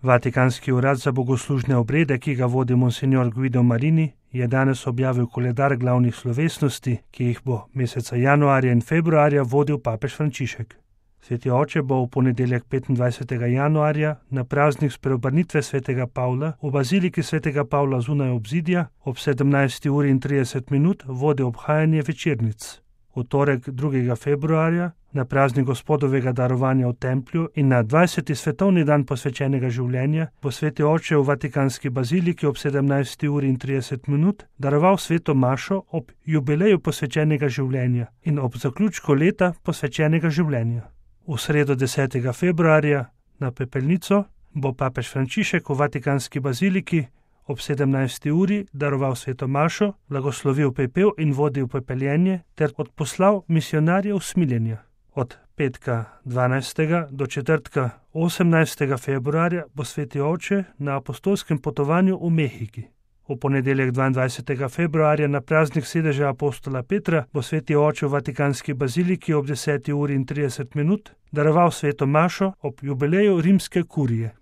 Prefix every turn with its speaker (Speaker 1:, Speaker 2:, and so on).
Speaker 1: Vatikanski urad za bogoslužne obrede, ki ga vodi monsignor Guido Marini, je danes objavil koledar glavnih slovesnosti, ki jih bo meseca januarja in februarja vodil papež Frančišek. Sveti oče bo v ponedeljek 25. januarja na praznik spreobrnitve svetega Pavla v baziliki svetega Pavla zunaj obzidja ob 17:30 vodil obhajanje večernic. V torek 2. februarja na praznik Gospodovega darovanja v templju in na 20. svetovni dan posvečenega življenja bo sveti oče v Vatikanski baziliki ob 17:30 daroval sveto mašo ob jubileju posvečenega življenja in ob zaključku leta posvečenega življenja. V sredo 10. februarja na pepelnico bo papež Frančišek v Vatikanski baziliki ob 17. uri daroval sveto mašo, blagoslovil pepel in vodil pepeljenje ter odposlal misijonarje usmiljenja. Od petka 12. do četrtka 18. februarja bo sveti oče na apostolskem potovanju v Mehiki. V ponedeljek 22. februarja na praznik sedeža apostola Petra bo sveti oče v Vatikanski baziliki ob 10:30 daroval sveto mašo ob jubileju rimske kurije.